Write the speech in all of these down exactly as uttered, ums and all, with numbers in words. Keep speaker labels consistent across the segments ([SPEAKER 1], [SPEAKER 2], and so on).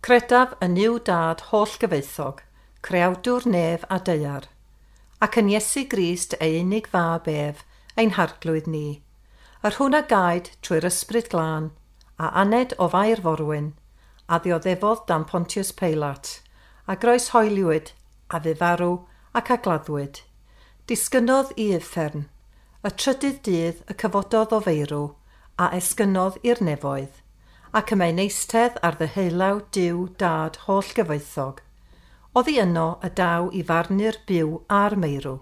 [SPEAKER 1] Credaf yn Nuw Dad holl-gyfoethog, creawdwr nef a daear, ac yn Iesu Grist ei unig fab ef, ein harglwydd ni, yr hwn a gaed trwy'r ysbryd glân, a aned o Fair Forwyn, a ddioddefodd dan Pontius Pilate, a groeshoeliwyd, a fu farw ac a gladdwyd. Disgynnodd i uffern, y trydydd dydd y cyfododd o feirw, a esgynnodd i'r nefoedd, ac y mae'n eistedd ar ddeheulaw Duw Dad holl-gyfoethog. Oddi yno y daw i farnu'r byw a'r meirw.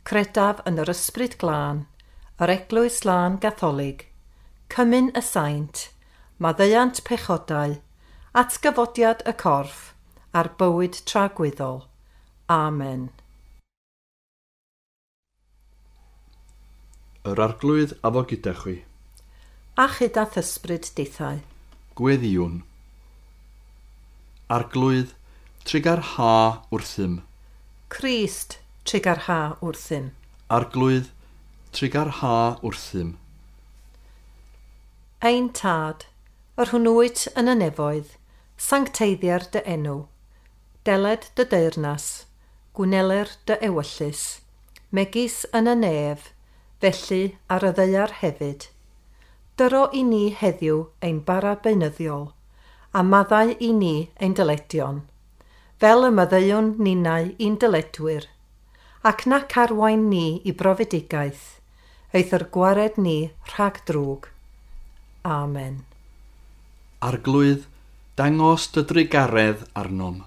[SPEAKER 1] Credaf yn yr ysbryd glân, yr eglwys lân gatholig, cymun y saint, maddeuant pechodau, atgyfodiad y corff, a'r bywyd tragwyddol. Amen.
[SPEAKER 2] Yr Arglwydd a fo gyda chwi.
[SPEAKER 1] A chyda thysbryd dithau.
[SPEAKER 2] Gweddïwn. Arglwydd, trugarha wrthym.
[SPEAKER 1] Crist, trugarha wrthym.
[SPEAKER 2] Arglwydd, trugarha wrthym.
[SPEAKER 1] Ein Tad, yr hwn wyt yn y nefoedd, sancteiddier dy enw, deled dy deyrnas, gwneler dy ewyllys, megis yn y nef, felly ar y ddaear hefyd. Dyro i ni heddiw ein bara beunyddiol, a maddau i ni ein dyledion, fel y maddeuwn ninnau i'n dyledwyr, ac nac arwain ni i brofedigaeth, eithr gwared ni rhag drwg. Amen.
[SPEAKER 2] Arglwydd, dangos dy drugaredd arnom.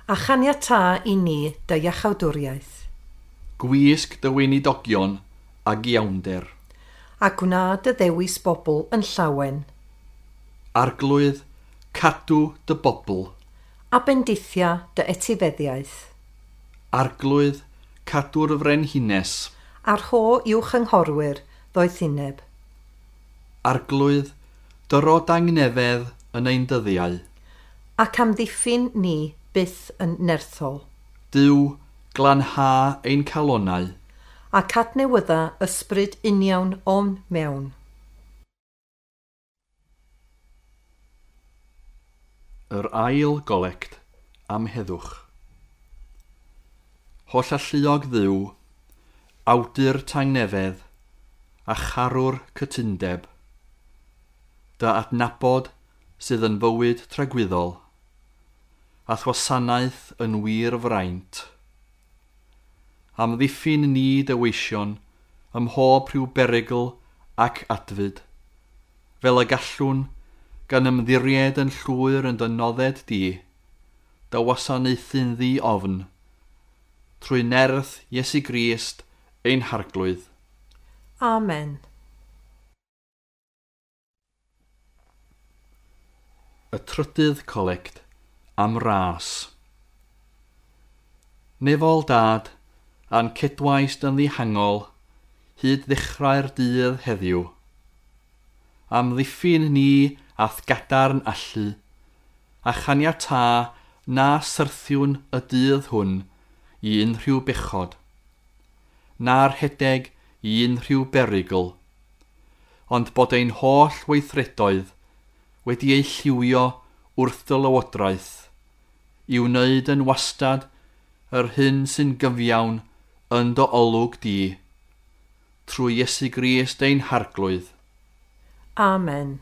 [SPEAKER 1] A chaniatâ i ni dy iachawdwriaeth.
[SPEAKER 2] Gwisg dy weinidogion ag iawnder.
[SPEAKER 1] A gwna dy ddewis bobl yn llawen.
[SPEAKER 2] Arglwydd, cadw dy bobl.
[SPEAKER 1] A bendithia dy etifeddiaeth.
[SPEAKER 2] Arglwydd, cadw'r frenhines.
[SPEAKER 1] A rho i'w chynghorwyr ddoethineb.
[SPEAKER 2] Arglwydd, dyro dangnefedd yn ein dyddiau.
[SPEAKER 1] Ac amddiffyn ni byth yn nerthol.
[SPEAKER 2] Duw, glanha ein calonnau.
[SPEAKER 1] Ac adnewydda ysbryd uniawn o'n mewn.
[SPEAKER 2] Yr ail golect am heddwch. Holl alluog Dduw, awdur tangnefedd, a charwr cytundeb, dy adnabod sydd yn fywyd tragwyddol, a'th wasanaeth yn wir fraint. Amddiffyn ni dy weision ym mhob rhyw berygl ac adfyd, fel y gallwn gan ymddiried yn llwyr yn dy nodded di, dy wasanaethu'n ddi-ofn, trwy nerth Iesu Grist ein Harglwydd.
[SPEAKER 1] Amen.
[SPEAKER 2] Y trydydd colect am ras. Nefol Dad, a'n cedwaist yn ddihangol, hyd ddechrau'r dydd heddiw. Amddiffyn ni a'th gadarn allu, a chaniatâ na syrthiwn y dydd hwn i unrhyw bechod, na'r rhedeg i unrhyw berygl, ond bod ein holl weithredoedd wedi eu lliwio wrth dy lywodraeth, i wneud yn wastad yr hyn sy'n gyfiawn yn dy olwg di, trwy Iesu Grist ein Harglwydd.
[SPEAKER 1] Amen.